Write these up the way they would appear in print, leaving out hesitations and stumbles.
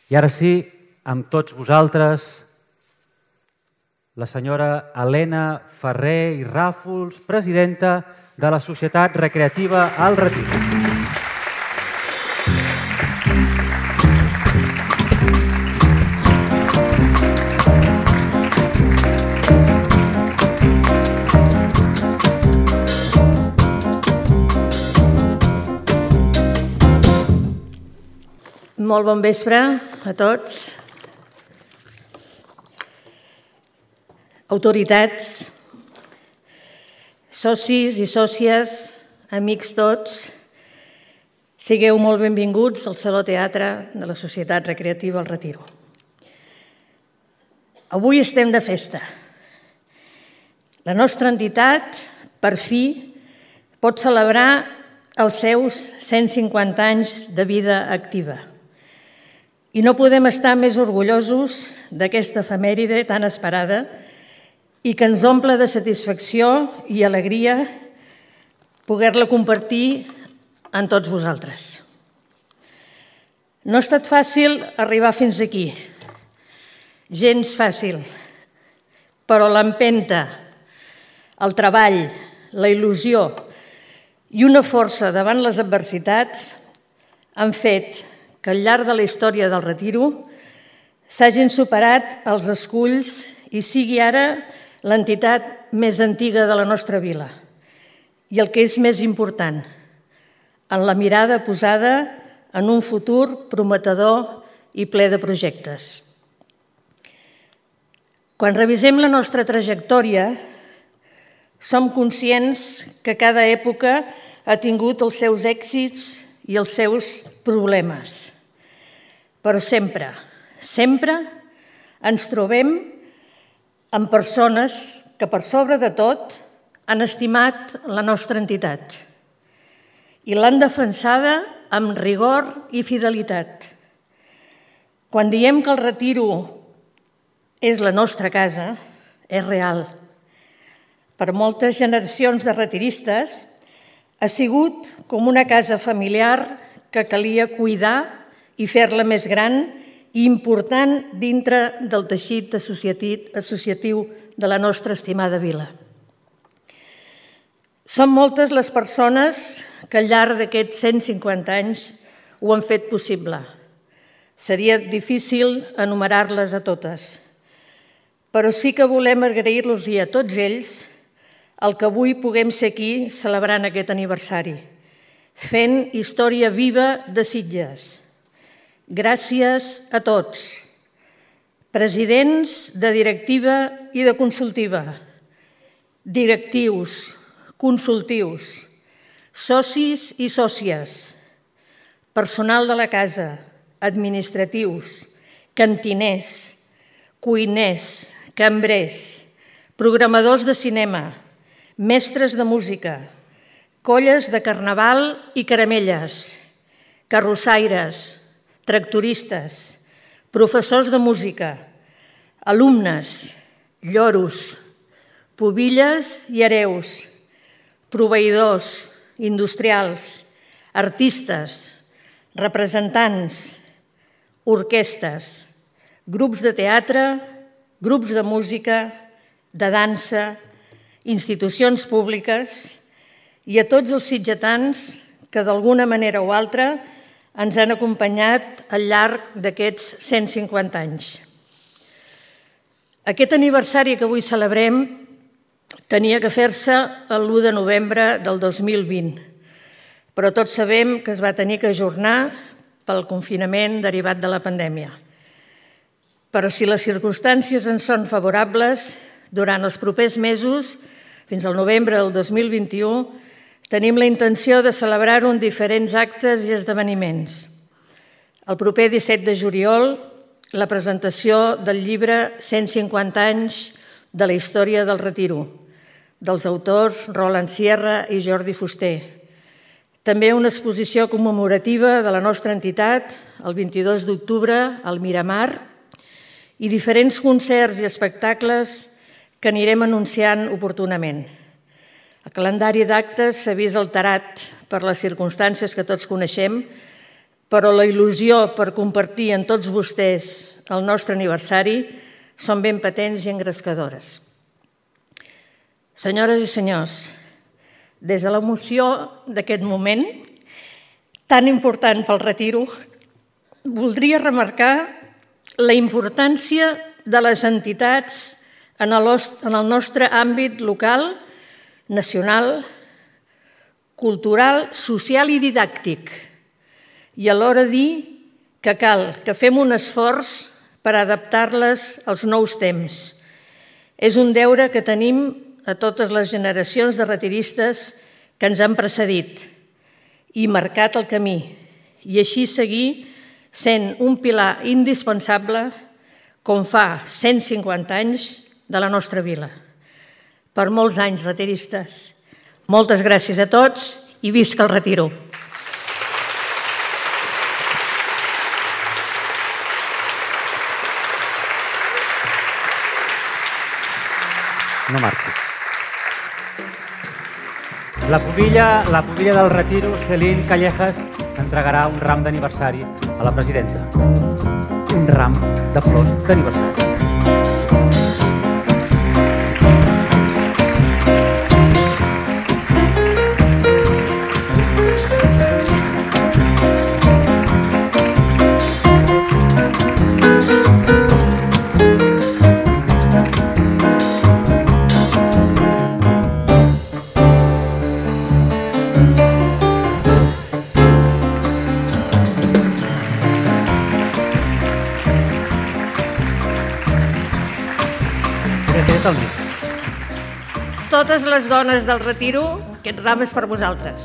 I ara sí, amb tots vosaltres, la senyora Helena Ferrer i Ràfols, presidenta de la Societat Recreativa El Retiro. Molt bon vespre a tots. Autoritats, socis i sòcies, amics tots, sigueu molt benvinguts al Saló Teatre de la Societat Recreativa El Retiro. Avui estem de festa. La nostra entitat, per fi, pot celebrar els seus 150 anys de vida activa. I no podem estar més orgullosos d'aquesta efemèride tan esperada i que ens omple de satisfacció i alegria poder-la compartir amb tots vosaltres. No ha estat fàcil arribar fins aquí, gens fàcil, però l'empenta, el treball, la il·lusió i una força davant les adversitats han fet que al llarg de la història del Retiro s'hagin superat els esculls i sigui ara l'entitat més antiga de la nostra vila. I el que és més important, en la mirada posada en un futur prometedor i ple de projectes. Quan revisem la nostra trajectòria, som conscients que cada època ha tingut els seus èxits i els seus problemes. Però sempre, sempre ens trobem amb persones que, per sobre de tot, han estimat la nostra entitat i l'han defensada amb rigor i fidelitat. Quan diem que el Retiro és la nostra casa, és real. Per moltes generacions de retiristes ha sigut com una casa familiar que calia cuidar i fer-la més gran i important dintre del teixit associatiu de la nostra estimada vila. Són moltes les persones que al llarg d'aquests 150 anys ho han fet possible. Seria difícil enumerar-les a totes, però sí que volem agrair-los a tots ells el que avui puguem ser aquí celebrant aquest aniversari, fent història viva de Sitges. Gràcies a tots, presidents de directiva i de consultiva, directius, consultius, socis i sòcies, personal de la casa, administratius, cantiners, cuiners, cambrers, programadors de cinema, mestres de música, colles de carnaval i caramelles, carrossaires, tractoristes, professors de música, alumnes, lloros, pubilles i hereus, proveïdors, industrials, artistes, representants, orquestes, grups de teatre, grups de música, de dansa, institucions públiques i a tots els sitgetans que d'alguna manera o altra ens han acompanyat al llarg d'aquests 150 anys. Aquest aniversari que avui celebrem tenia que fer-se l'1 de novembre del 2020, però tots sabem que es va tenir que ajornar pel confinament derivat de la pandèmia. Però si les circumstàncies ens són favorables, durant els propers mesos, fins al novembre del 2021, tenim la intenció de celebrar-ho en diferents actes i esdeveniments. El proper 17 de juliol, la presentació del llibre 150 anys de la història del Retiro, dels autors Roland Sierra i Jordi Fuster. També una exposició commemorativa de la nostra entitat, el 22 d'octubre, al Miramar, i diferents concerts i espectacles que anirem anunciant oportunament. El calendari d'actes s'ha vist alterat per les circumstàncies que tots coneixem, però la il·lusió per compartir amb tots vostès el nostre aniversari són ben patents i engrescadores. Senyores i senyors, des de l'emoció d'aquest moment, tan important pel retiro, voldria remarcar la importància de les entitats en el nostre àmbit local, nacional, cultural, social i didàctic, i alhora dir que cal que fem un esforç per adaptar-les als nous temps. És un deure que tenim a totes les generacions de retiristes que ens han precedit i marcat el camí, i així seguir sent un pilar indispensable, com fa 150 anys, de la nostra vila. Per molts anys, retiristes. Moltes gràcies a tots i visca el retiro. No marquis. La pubilla del retiro, Celine Callejas, entregarà un ram d'aniversari a la presidenta. Un ram de flors d'aniversari. Totes les dones del retiro, aquest ram és per vosaltres.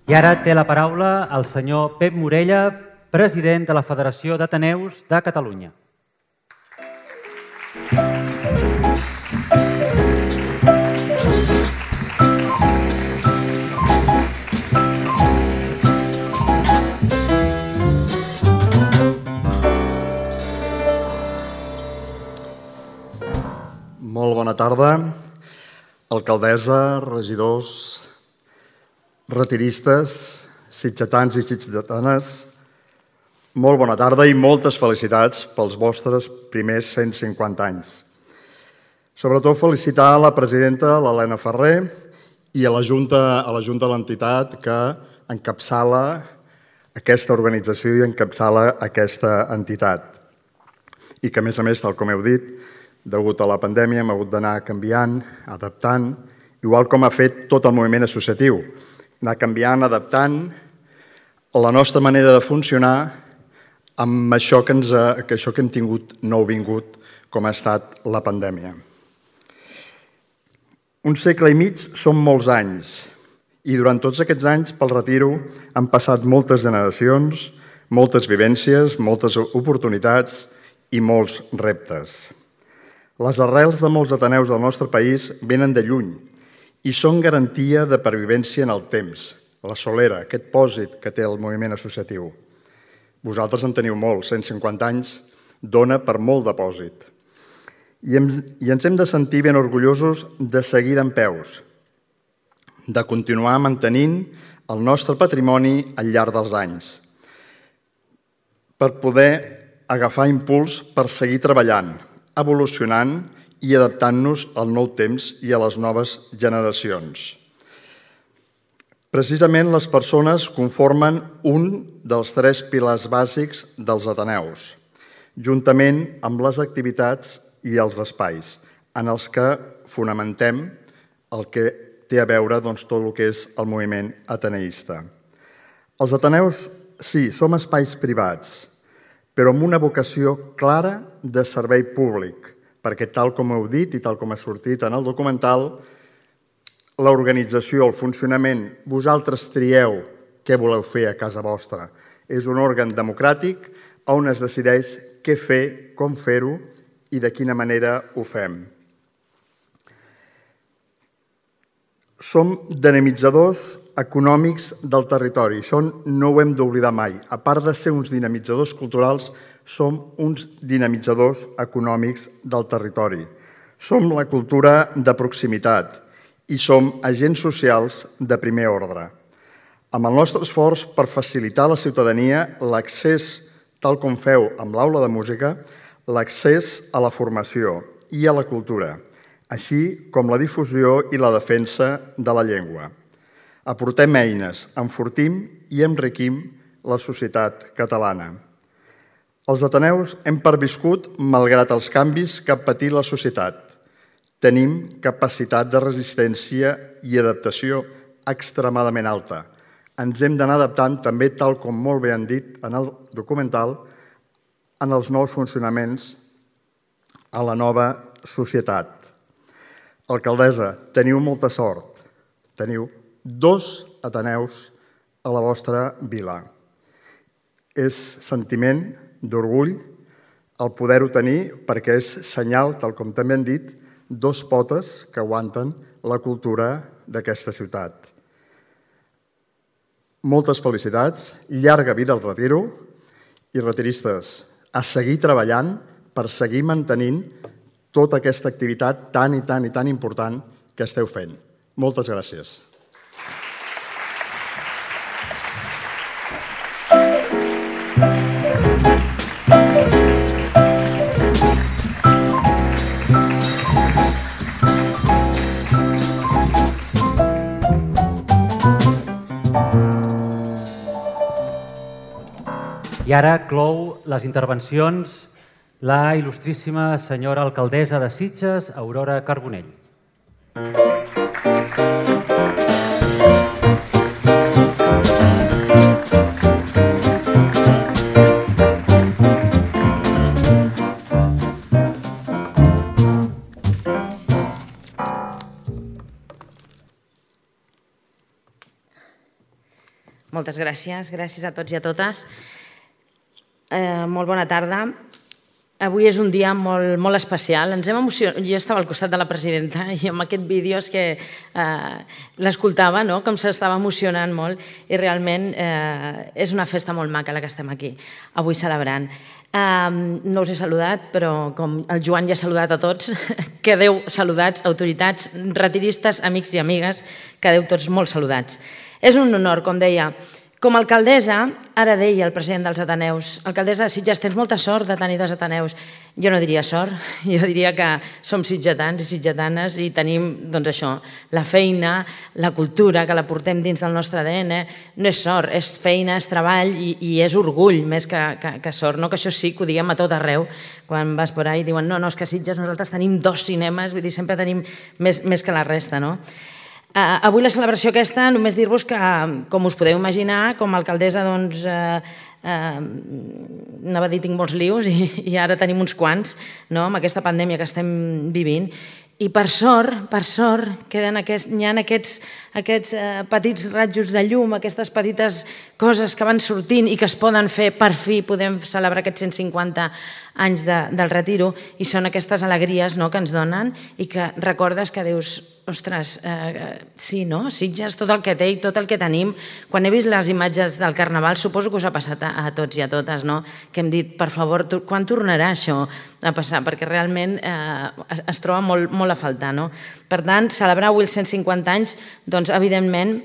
I ara té la paraula el senyor Pep Morella, president de la Federació d'Ateneus de Catalunya. Molt bona tarda, alcaldessa, regidors, retiristes, sitgetans i sitgetanes. Molt bona tarda i moltes felicitats pels vostres primers 150 anys. Sobretot felicitar a la presidenta, l'Helena Ferrer, i a la Junta de l'entitat que encapçala aquesta organització i encapçala aquesta entitat. I que, a més, tal com heu dit, degut a la pandèmia hem hagut d'anar canviant, adaptant, igual com ha fet tot el moviment associatiu. Anar canviant, adaptant la nostra manera de funcionar amb això que hem tingut nouvingut, com ha estat la pandèmia. Un segle i mig són molts anys, i durant tots aquests anys pel retiro han passat moltes generacions, moltes vivències, moltes oportunitats i molts reptes. Les arrels de molts ateneus del nostre país venen de lluny i són garantia de pervivència en el temps, la solera, aquest pòsit que té el moviment associatiu. Vosaltres en teniu molts, 150 anys dona per molt depòsit. I ens hem de sentir ben orgullosos de seguir en peus, de continuar mantenint el nostre patrimoni al llarg dels anys, per poder agafar impuls per seguir treballant, evolucionant i adaptant-nos al nou temps i a les noves generacions. Precisament les persones conformen un dels 3 pilars bàsics dels ateneus, juntament amb les activitats i els espais, en els que fonamentem el que té a veure tot el que és el moviment ateneista. Els ateneus, sí, som espais privats, però amb una vocació clara de servei públic, perquè tal com heu dit i tal com ha sortit en el documental, l'organització, el funcionament, vosaltres trieu què voleu fer a casa vostra. És un òrgan democràtic on es decideix què fer, com fer-ho i de quina manera ho fem. Som dinamitzadors econòmics del territori. Això no ho hem d'oblidar mai. A part de ser uns dinamitzadors culturals, som uns dinamitzadors econòmics del territori. Som la cultura de proximitat i som agents socials de primer ordre. Amb el nostre esforç per facilitar a la ciutadania l'accés, tal com feu amb l'aula de música, l'accés a la formació i a la cultura, així com la difusió i la defensa de la llengua. Aportem eines, enfortim i enriquim la societat catalana. Els ateneus hem perviscut malgrat els canvis que ha patit la societat. Tenim capacitat de resistència i adaptació extremadament alta. Ens hem d'anar adaptant també, tal com molt bé han dit en el documental, en els nous funcionaments a la nova societat. Alcaldessa, teniu molta sort. Teniu 2 ateneus a la vostra vila. És sentiment d'orgull el poder-ho tenir perquè és senyal, tal com també han dit, 2 potes que aguanten la cultura d'aquesta ciutat. Moltes felicitats, llarga vida al retiro i retiristes, a seguir treballant per seguir mantenint tota aquesta activitat tan i tan important que esteu fent. Moltes gràcies. I ara clou les intervencions la il·lustríssima senyora alcaldessa de Sitges, Aurora Carbonell. Moltes gràcies. Gràcies a tots i a totes. Molt bona tarda. Avui és un dia molt especial. Ens hem emocionat. Jo estava al costat de la presidenta i amb aquest vídeo és que l'escoltava, com s'estava emocionant molt, i realment és una festa molt maca la que estem aquí, avui celebrant. No us he saludat, però com el Joan ja ha saludat a tots, quedeu saludats, autoritats, retiristes, amics i amigues, quedeu tots molt saludats. És un honor, com deia. Com a alcaldessa, ara deia el president dels Ateneus, alcaldessa de Sitges, tens molta sort de tenir 2 Ateneus. Jo no diria sort, jo diria que som sitgetans i sitgetanes i tenim, doncs això, la feina, la cultura, que la portem dins del nostre ADN. No és sort, és feina, és treball i és orgull més que sort. No que això sí, que ho diguem a tot arreu. Quan vas per ahí i diuen no, és que a Sitges nosaltres tenim 2 cinemes, vull dir, sempre tenim més que la resta, no? Avui la celebració aquesta, només dir-vos que, com us podeu imaginar, com a alcaldessa, doncs, anava a dir tinc molts lius i ara tenim uns quants, amb aquesta pandèmia que estem vivint. I per sort, hi ha aquests petits rajos de llum, aquestes petites coses que van sortint i que es poden fer, per fi podem celebrar aquests 150 anys del retiro, i són aquestes alegries que ens donen i que recordes que dius, ostres, sí, no? Sitges, tot el que té i tot el que tenim. Quan he vist les imatges del Carnaval, suposo que us ha passat a tots i a totes, que hem dit, per favor, quan tornarà això a passar? Perquè realment es troba molt a faltar. Per tant, celebrar avui els 150 anys, doncs, evidentment,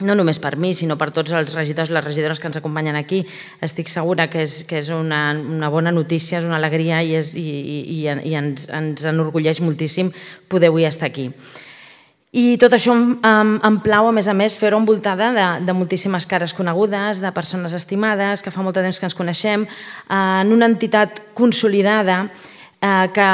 no només per mi, sinó per tots els regidors i les regidores que ens acompanyen aquí. Estic segura que és una bona notícia, és una alegria i ens enorgulleix moltíssim poder avui estar aquí. I tot això em plau, a més, fer-ho envoltada de moltíssimes cares conegudes, de persones estimades, que fa molt de temps que ens coneixem, en una entitat consolidada que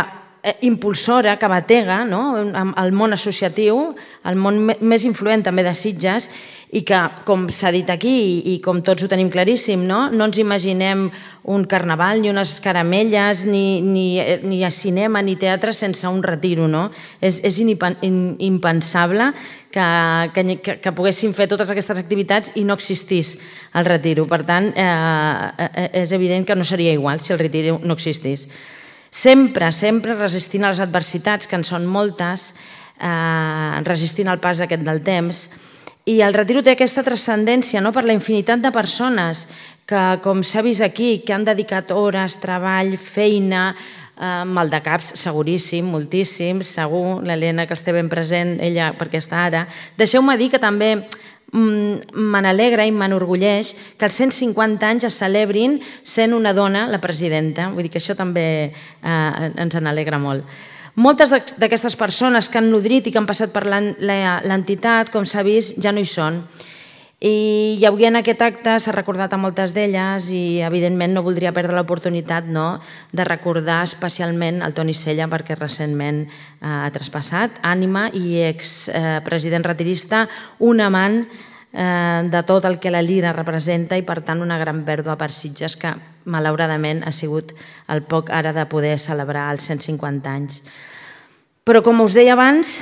impulsora, que batega el món associatiu, el món més influent també de Sitges, i que, com s'ha dit aquí i com tots ho tenim claríssim, no ens imaginem un carnaval, ni unes caramelles, ni cinema, ni teatre sense un retiro. És impensable que poguéssim fer totes aquestes activitats i no existís el retiro. Per tant, és evident que no seria igual si el retiro no existís. Sempre resistint a les adversitats, que en són moltes, resistint el pas aquest del temps. I el Retiro té aquesta transcendència per la infinitat de persones que, com s'ha vist aquí, que han dedicat hores, treball, feina, maldecaps, seguríssim, moltíssims, segur, l'Helena que els té ben present, ella perquè està ara. Deixeu-me dir que també me n'alegra i m'enorgulleix que els 150 anys es celebrin sent una dona la presidenta. Vull dir que això també ens n'alegra molt. Moltes d'aquestes persones que han nodrit i que han passat per l'entitat, com s'ha vist, ja no hi són. I avui en aquest acte s'ha recordat a moltes d'elles i evidentment no voldria perdre l'oportunitat de recordar especialment el Toni Sella perquè recentment ha traspassat, ànima i expresident retirista, un amant de tot el que la Lira representa i per tant una gran pèrdua per Sitges que malauradament ha sigut el poc ara de poder celebrar els 150 anys. Però, com us deia abans,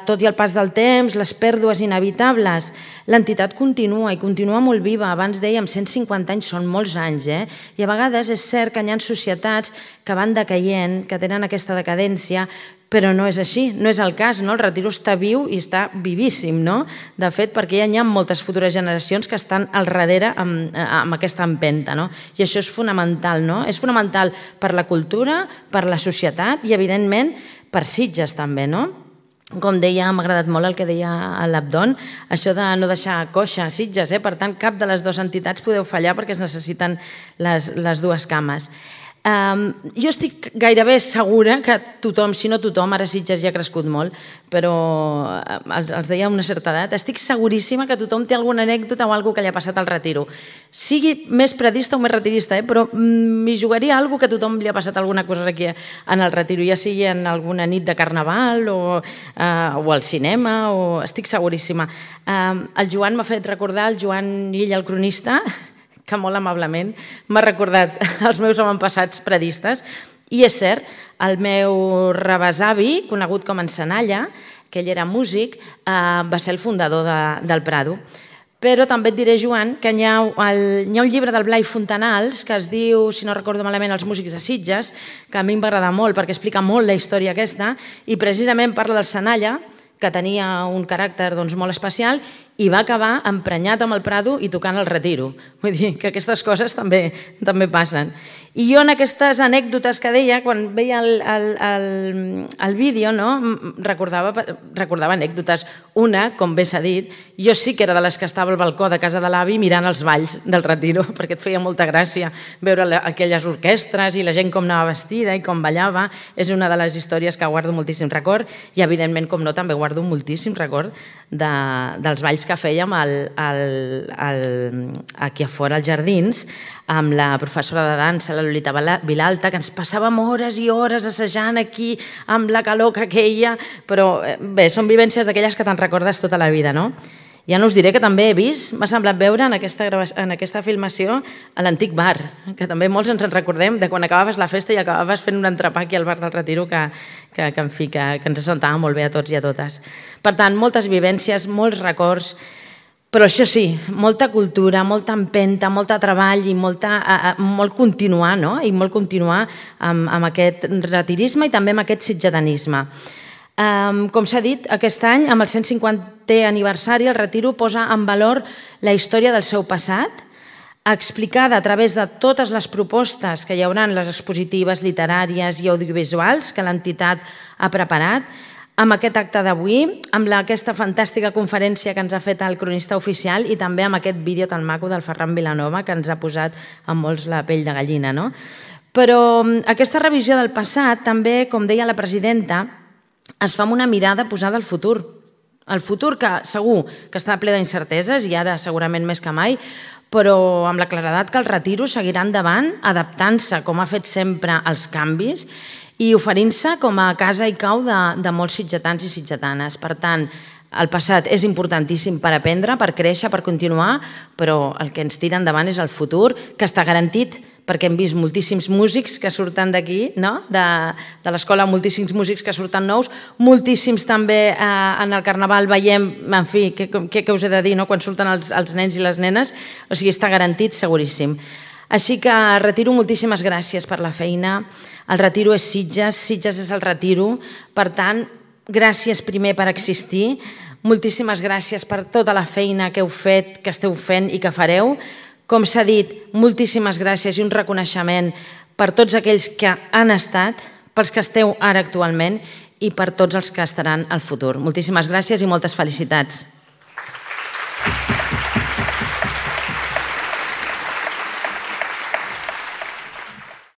tot i el pas del temps, les pèrdues inevitables, l'entitat continua i continua molt viva. Abans dèiem, 150 anys són molts anys, i a vegades és cert que hi ha societats que van decaient, que tenen aquesta decadència, però no és així, no és el cas. El Retiro està viu i està vivíssim, de fet, perquè ja hi ha moltes futures generacions que estan al darrere amb aquesta empenta, i això és fonamental, és fonamental per la cultura, per la societat i, evidentment, per Sitges també, Com deia, m'ha agradat molt el que deia l'Abdon, això de no deixar coixa a Sitges, per tant, cap de les dues entitats podeu fallar perquè es necessiten les dues cames. Jo estic gairebé segura que tothom, si no tothom, ara Sitges ja ha crescut molt, però els deia a una certa edat, estic seguríssima que tothom té alguna anècdota o alguna cosa que li ha passat al Retiro. Sigui més predista o més retirista, però m'hi jugaria alguna cosa que a tothom li ha passat alguna cosa aquí en el Retiro, ja sigui en alguna nit de carnaval o al cinema, estic seguríssima. El Joan m'ha fet recordar, el Joan Illa, el cronista, que molt amablement m'ha recordat els meus avantpassats predistes. I és cert, el meu rebesavi, conegut com en Senalla, que ell era músic, va ser el fundador del Prado. Però també et diré, Joan, que hi ha un llibre del Blai Fontanals que es diu, si no recordo malament, Els músics de Sitges, que a mi em va agradar molt perquè explica molt la història aquesta i precisament parla del Senalla, que tenia un caràcter molt especial i va acabar emprenyat amb el Prado i tocant el Retiro. Vull dir que aquestes coses també passen. I jo en aquestes anècdotes que deia, quan veia el vídeo, recordava anècdotes. Una, com bé s'ha dit, jo sí que era de les que estava al balcó de casa de l'avi mirant els balls del Retiro, perquè et feia molta gràcia veure aquelles orquestres i la gent com anava vestida i com ballava. És una de les històries que guardo moltíssim record i, evidentment, com no, també guardo moltíssim record dels balls que fèiem aquí a fora als jardins amb la professora de dansa, la Lolita Vilalta, que ens passàvem hores i hores assajant aquí amb la calor que queia, però bé, són vivències d'aquelles que te'n recordes tota la vida, no? Ja no us diré que també he vist, m'ha semblat veure en aquesta filmació a l'antic bar, que també molts ens en recordem de quan acabaves la festa i acabaves fent un entrepà aquí al bar del Retiro que ens assentava molt bé a tots i a totes. Per tant, moltes vivències, molts records, però això sí, molta cultura, molta empenta, molt treball i molt continuar, no? I molt continuar amb aquest retirisme i també amb aquest sitgedanisme. Com s'ha dit, aquest any, amb el 150è aniversari, el Retiro posa en valor la història del seu passat, explicada a través de totes les propostes que hi haurà en les expositives literàries i audiovisuals que l'entitat ha preparat, amb aquest acte d'avui, amb aquesta fantàstica conferència que ens ha fet el cronista oficial i també amb aquest vídeo tan maco del Ferran Vilanova que ens ha posat a molts la pell de gallina, no? Però aquesta revisió del passat també, com deia la presidenta, es fa amb una mirada posada al futur. El futur que segur que està ple d'incerteses i ara segurament més que mai, però amb la claredat que el Retiro seguirà endavant, adaptant-se, com ha fet sempre, als canvis i oferint-se com a casa i cau de molts sitgetans i sitgetanes. Per tant, el passat és importantíssim per aprendre, per créixer, per continuar, però el que ens tira endavant és el futur, que està garantit perquè hem vist moltíssims músics que surten d'aquí, de l'escola, moltíssims músics que surten nous, moltíssims també en el Carnaval veiem, en fi, què us he de dir, quan surten els nens i les nenes, o sigui, està garantit, seguríssim. Així que Retiro, moltíssimes gràcies per la feina. El Retiro és Sitges, Sitges és el Retiro, per tant, gràcies primer per existir, moltíssimes gràcies per tota la feina que heu fet, que esteu fent i que fareu. Com s'ha dit, moltíssimes gràcies i un reconeixement per tots aquells que han estat, pels que esteu ara actualment i per tots els que estaran al futur. Moltíssimes gràcies i moltes felicitats.